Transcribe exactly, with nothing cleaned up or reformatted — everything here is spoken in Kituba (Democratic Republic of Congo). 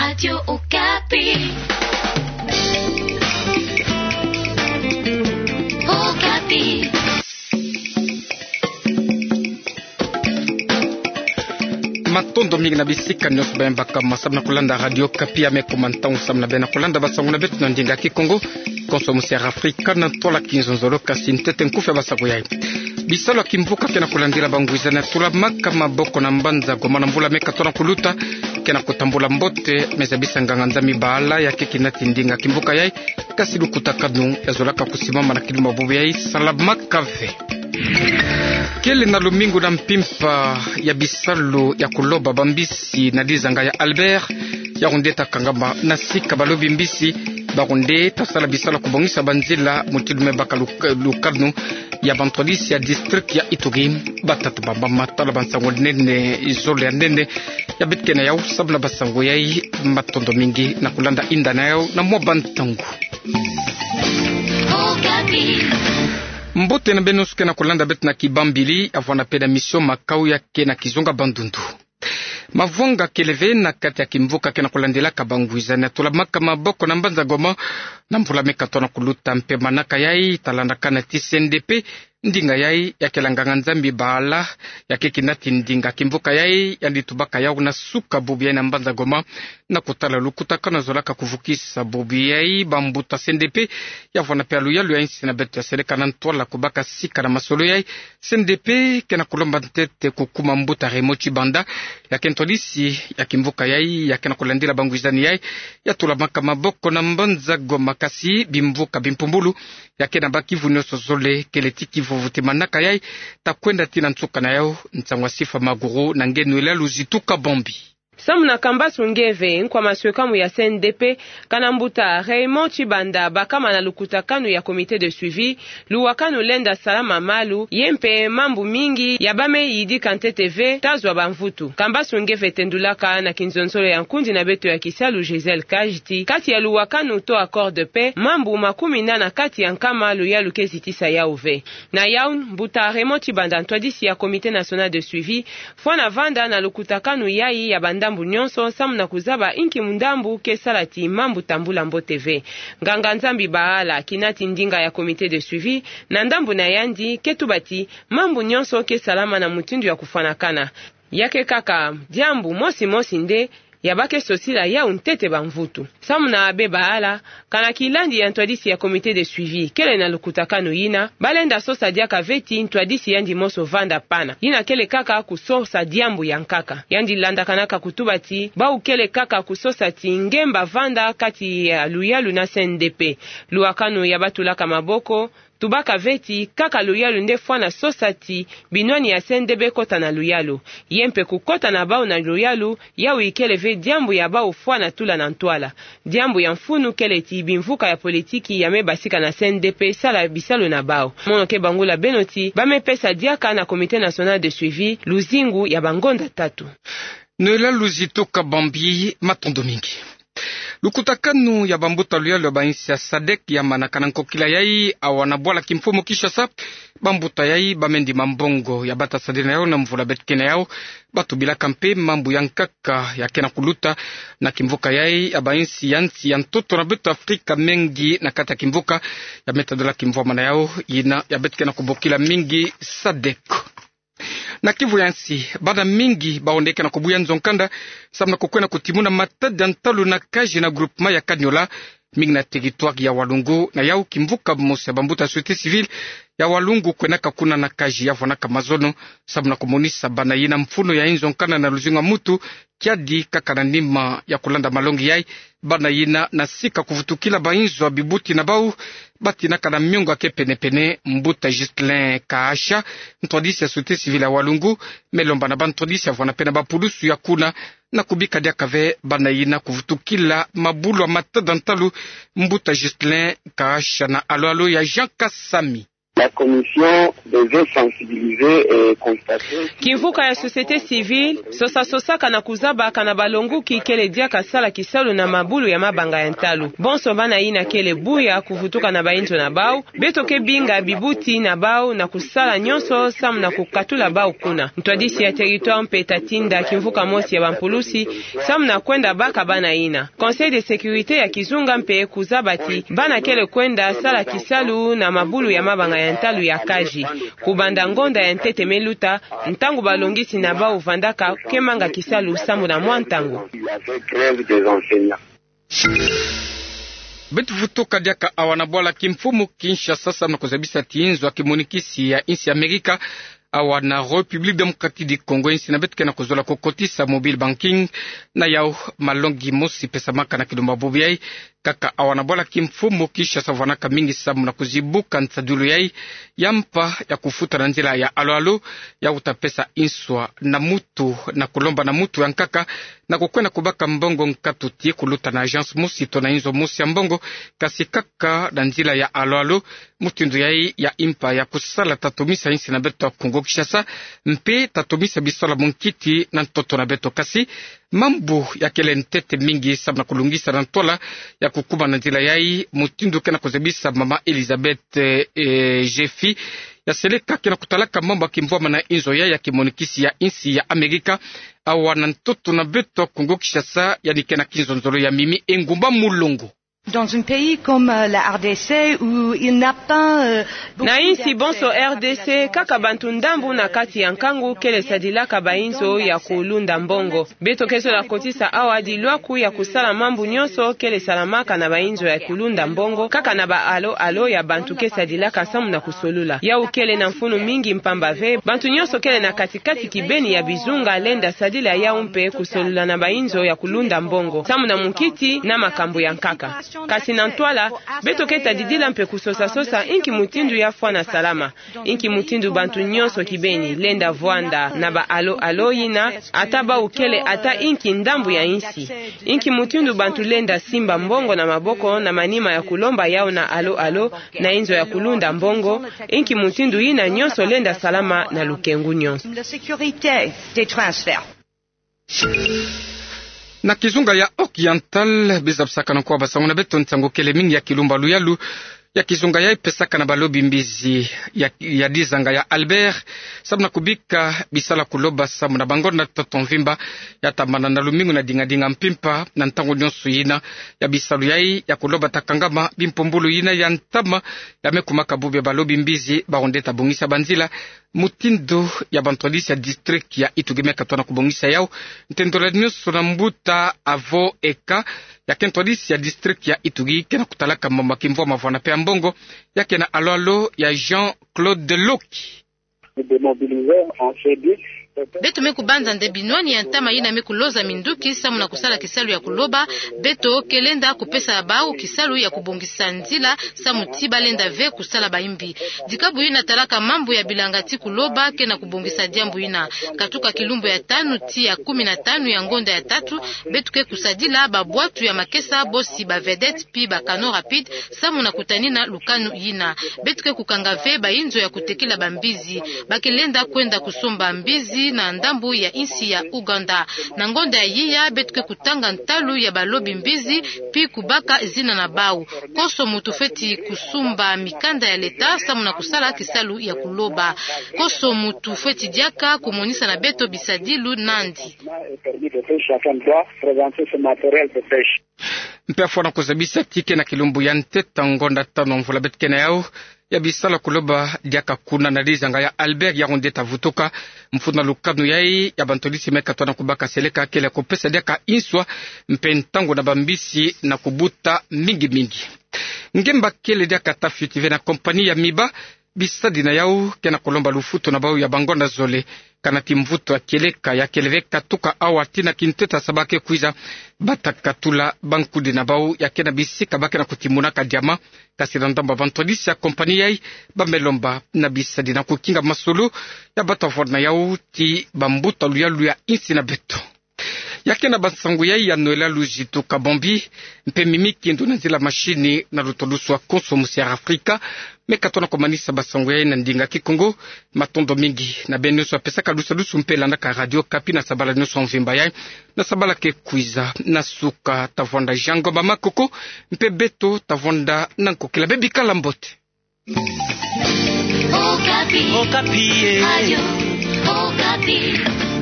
Radio Okapi. Okapi. Matondo mingi na bisika nyonso baimbakama samu na kulanda Radio Okapi. Ame ko mantangu samu na bena kulanda basango na beto na ndinga Kikongo, konso musi ya Afrika na ntwala kinzonzolo. Kasi ntete nkufi ya basango yai: Bisalu ya kimvuka ke na kulandila bangwizani ya tulamaka maboko na mbanza Goma na mvula meka tona kuluta ke na kutambula mbote, mais bisa nganga-Nzambi bahala ya ke kinati ndinga kimvuka yai, kasi lukutakanu ya zolaka kusimama na kilumbu bubu yai salamaka ve. Kele na lumingu na mpimpa ya bisalu ya kuloba bambisi na lizanga ya Albert, yau nde ta kangama na sika balobi mbisi, bau nde ta sala bisalu ya kubongisa banzila mutindu me baka luk-, lukanu ya bantwadisi ya district ya Ituri. Batata bambama, tala bansango nene, zole ya nene ya beto ke na yau samu na basango yai. Matondo mingi na kulanda inda na yau na mwa bantangu. Mbote na beno nyonso ke na kulanda beto na kibambili, ya vwanda pe na mission Makau ya ke na kizonga bandundu. Mavwanga kele ve na kati ya kimvuka ke na kulandilaka bangwizani ya tulamaka maboko na mbanza Goma na mvula meka tona kuluta, mpe manaka yai ta landakana ti C N D P, ndinga yai ya kele nganga-Nzambi bahala ya ke kinati ndinga kimvuka yai, yandi tubaka yau na suka bubu yai na mbanza Goma na kutala lukutakanu ya zolaka kuvukisa bubu yai. Bambuta C N D P, ya vwanda pe ya luyalu ya insi na beto ya seleka na ntwala kubaka sika na masolo yai, C N D P ke na kulomba ntete kukuma mbuta Raymond Tshibanda, ya ke ntwadisi ya kimvuka yai ya ke na kulandila bangwizani yai ya tulamaka maboko na mbanza Goma. Kasi bimvuka bimpumbulu ya ke na bâ kivu nyonso zole, kele ti kivuvu ti manaka yai ta kwenda ti na nsuka na yau. Nsangu ya Sifa Maguru na nge Noëlla Luzitu Kabambi. Samu na Kambasu Ngeve, nkwa maswekamu ya C N D P, kana mbuta Raymond Tshibanda bakama na lukutakanu ya comité de suivi, luwakanu lenda salama malu, ye mpe mambu mingi ya bâ me yidika ntete ve ta zwa bamvutu. Kambasu Ngeve tendulaka na kinzonzolo ya nkundi na beto ya kisalu Gisèle Kaji ti kati ya luwakanu to accord de paix, mambu makumi nana kati ya nkama luyalu ke zitisa yau ve. Na yawu, mbuta Raymond Tshibanda, ntwadisi ya Comité National de Suivi, fwana vanda na lukutakanu yayi ya bandambu nyonso samu na kuzaba inki mundambu ke sala ti mambu tambula mbote ve. Nganga-Nzambi bahala, kinati ndinga ya Comité de Suivi, na ndambu na yandi, ke tuba ti mambu nyonso ke salama na mutindu ya kufwanakana. Ya ke kaka diambu mosi mosi nde ya bake sosila yawu ntete bamvutu. Samu na be bahala, kana kilandi ya ntwadisi ya Comité de Suivi kele na lukutakanu yina, balenda sosa diaka ve ti ntwadisi yandi mosi vanda pana. Yina kele kaka kusosa diambu ya nkaka. Yandi landakanaka kutuba ti, bawu kele kaka kusosa ti ngemba vanda kati ya luyalu na C N D P. Luwakanu ya batulaka maboko, tubaka ve ti kaka luyalu nde fwana sosa ti binwani ya C N D P kota na luyalu. Ye mpe kukota na bawu na luyalu, yawu ikele ve diambu ya bawu fwana tula na ntwala. Diambu ya mfunu kele ti bimvuka ya politiki ya me basika na C N D P sala bisalu na bawu. Mono ke bangula beno ti ba me pesa diaka na Comité National de Suivi luzingu ya bangonda tatu. Noëlla Luzitu Kabambi, matondo mingi. Lukutakanu ya bambuta luyalu ya bainsi ya sadek ya manaka na nkokila yayi awa na bwala kimfumu Kinshasa. Bambuta yayi ba me ndima mbongo ya bata sadila na yawu na mvula beto ke na yawu. Batubilaka mpe mambu ya nkaka ya ke na kuluta na kimvuka yayi ya bainsi ya nsi ya ntoto na beto Afrika, mengi na kati ya kimvuka ya me tadula kimvwama na yawu, yina ya beto ke na kubokila mingi sadek. Na Kivu ya nsi, bana mingi bawu nde ke na kubuya nzo-nkanda samu na kukwenda kutimuna matada ntalu na kaji na groupement ya Kaniola, mingi na territoire ya Walungu. Na yawu, kimvuka mosi ya bambuta société civile ya Walungu kwendaka kuna na kaji ya vwanaka mazono samu na kumonisa bana yina mfunu ya inzo-nkanda na luzingu ya mutu. Kiadi kaka na nima ya kulanda malongi yayi, bana yina na sika kuvutukila bainzo ya bibuti na bawu, batinaka na miongo ya ke pene-pene. Mbuta Ghislain Kahasha, ntwadisi ya société civile ya Walungu, me lomba na bantwadisi ya vwanda mpe na bapulusu ya kuna na kubika diaka ve bana yina kuvutukila mabulu ya matada ntalu. Mbuta Ghislain Kahasha na alo-alo ya Jean Kasami. La commission devait sensibiliser et constater. Kimvuka ya société civile sosa-sosaka na kuzabaka na balonguki kele diaka sala kisalu na mabulu ya mabanga ya ntalu. Bonso bana yina kele buya kuvutuka na bainzo na bau, beto ke binga bibuti na bau na kusala nyonso samu na kukatula bau kuna. Ntwadisi ya territoire mpe ta tinda kimvuka mosi ya bampulusi samu na kwenda baka bana yina. Conseil de sécurité ya kizunga mpe kuzaba ti bana kele kwenda sala kisalu na mabulu ya mabanga ya ntalu ya Kazi. Kubanda ngonda ya ntete me luta, ntangu balongisi na bau vandaka ke manga kisalu samu na mwa ntangu. Beto vutuka diaka awa na bwala kimfumu Kinshasa samu na kuzabisa ti inzo ya kimonikisi ya insi ya Amerika awa na République Démocratique du Congo, insi na beto ke na kuzola kukotisa mobile banking. Na yau malongi mosi pesamaka na kilumbu bubu yai, kaka awa na bwala kimfumu Kinshasa vwanaka mingi samu na kuzibuka nsadilu yai ya mpa ya kufuta na nzila ya alo-alo, ya kuta pesa inswa na mutu, na kulomba na mutu ya nkaka, na kukwenda kubaka mbongo nkatu ti kuluta na agence mosi to na inzo mosi ya mbongo, kasi kaka na nzila ya alo-alo. Mutindu yai ya mpa ya kusala ta tomisa insi na beto ya Congo Kinshasa, mpe ta tomisa bisalu munkiti na ntoto na beto. Kasi mambu ya kele ntete mingi samu na kulungisa na ntwala ya kukuma na nzila yai, mutindu ke na kuzabisa mama Elizabeth, eh, eh, Jeffy, ya seleka ke na kutalaka mambu ya kimvwama na inzo yai ya kimonikisi ya insi ya Amerika awa na ntoto na beto ya Congo Kinshasa, yandi ke na kinzonzolo ya Mimi Engumba Mulongo. Dans un pays comme, euh, la R D C, où il n'a pas, euh, beaucoup... Na insi bonso R D C, kaka bantu ndambu na kati ya nkangu kele sadilaka bainzo ya kulunda mbongo. Beto ke zola kotisa awa dilwaku ya kusala mambu nyonso kele salamaka na bainzo ya kulunda mbongo, kaka na ba alo-alo ya bantu ke sadilaka samu na kusolula. Yau kele na mfunu mingi mpamba ve bantu nyonso kele na kati kati kibeni ya bizunga lenda sadila yau mpe kusolula na bainzo ya kulunda mbongo, samu na munkiti na makambu ya nkaka. Kasi na ntwala, beto ke ta didila mpe kusosa-sosa inki mutindu ya fwana salama, inki mutindu bantu nyonso kibeni lenda vwanda na ba alo-alo yina, ata bau kele ata inki ndambu ya insi, inki mutindu bantu lenda simba mbongo na maboko na manima ya kulomba yau na alo-alo, na inzo ya kulunda mbongo, inki mutindu yina nyonso lenda salama na lukengu nyonso. La sécurité des transferts. Na kizunga ya Oriental, bizabisaka na nkwa basango na beto nsangu kele mingi ya kilumbu ya luyalu ya kizunga yai pesaka na balobi mbizi ya, ya dizanga ya Albert, samu na kubika bisalu ya kuloba samu na bangonda ntoto mvimba, ya tambana na lumingu na dingadinga mpimpa. Na ntangu nyonso yina ya bisalu yai ya kuloba ta kangama, bimpumbulu yina ya ntama ya me kumaka bubu ya balobi mbizi, bawu nde ta bongisa banzila. Mutindu ya bantwadisi ya district ya Ituri me katoa na kubongisa yau, ntendola nyonso na mbuta Avo Eka, ya ke ntwadisi ya district ya Ituri, ke na kutalaka mama kimvwama vwana pe ya mbongo, ya ke na alo-alo ya Jean-Claude Loki. Beto me kubanza nde binwani ya ntama yina me kuloza minduki samu na kusala kisalu ya kuloba, beto ke lenda kupesa bau kisalu ya kubongisa nzila samu ti balenda ve kusala baimbi. Dikabu yina talaka mambu ya bilanga ti kuloba ke na kubongisa diambu yina. Katuka kilumbu ya tanu ti ya kumi na tanu ya ngonda ya tatu, beto ke kusadila babwatu ya makesa, bosi ba vedette pi ba canot rapide, samu na kutanina lukanu yina. Beto ke kukanga ve bainzo ya kutekila bambizi. Ba ke lenda kwenda kusomba mbizi na ndambu ya insi ya Ouganda. Na ngonda ya yiya, beto ke kutanga ntalu ya balobi mbizi, pi kubaka zina na bau. Konso muntu fweti kusumba mikanda ya leta samu na kusala kisalu ya kuloba. Konso muntu fweti diaka kumonisa na beto bisadilu nandi. Mpe afwana kuzabisa ti ke na kilumbu ya ntete ngonda tanu mvula beto ke na yau, ya bisalu ya kuloba diaka kuna na dizanga ya Albert, yawu nde ta vutuka. Mfunu na lukanu yai ya bantwadisi me katoa na kubaka seleka kele kupesa diaka inswa mpe ntangu na bambisi na kubuta mingi mingi. Ngemba kele diaka ta fioti ve na compagnie ya Miba, bisadi na yau ke na kulomba lufutu na bau ya bangonda zole. Kana ti mvutu ya kieleka ya kele ve katuka awa tii na kintete ya sabala ke kwiza, bata katula bankudi na bau ya ke na bisika ba ke na kutimunaka diama. Kasi na ndambu ya bantwadisi ya compagnie yai, ba me lomba na bisadi na kukinga masolo ya bata vwanda na yau ti bambuta luyalu ya insi na beto. Ya ke na bansangu yai ya noela luzitu kabombi, mpe mimi kindo na nzila mashini na luto lusu a konso musi ya Afrika. Me katona komanisa bansangu yai na ndinga Kikongo. Matondo mingi na beno nyonso ya pesaka lusalusu mpe landaka Radio Okapi na sabala nyonso mvimba yai. Na sabala ke kwiza na suka, tavwanda Jean Ngomba Makoko, mpe beto tavwanda na nkokila. Bebikala mbote. Okapi. Okapi, eh. Radio Okapi.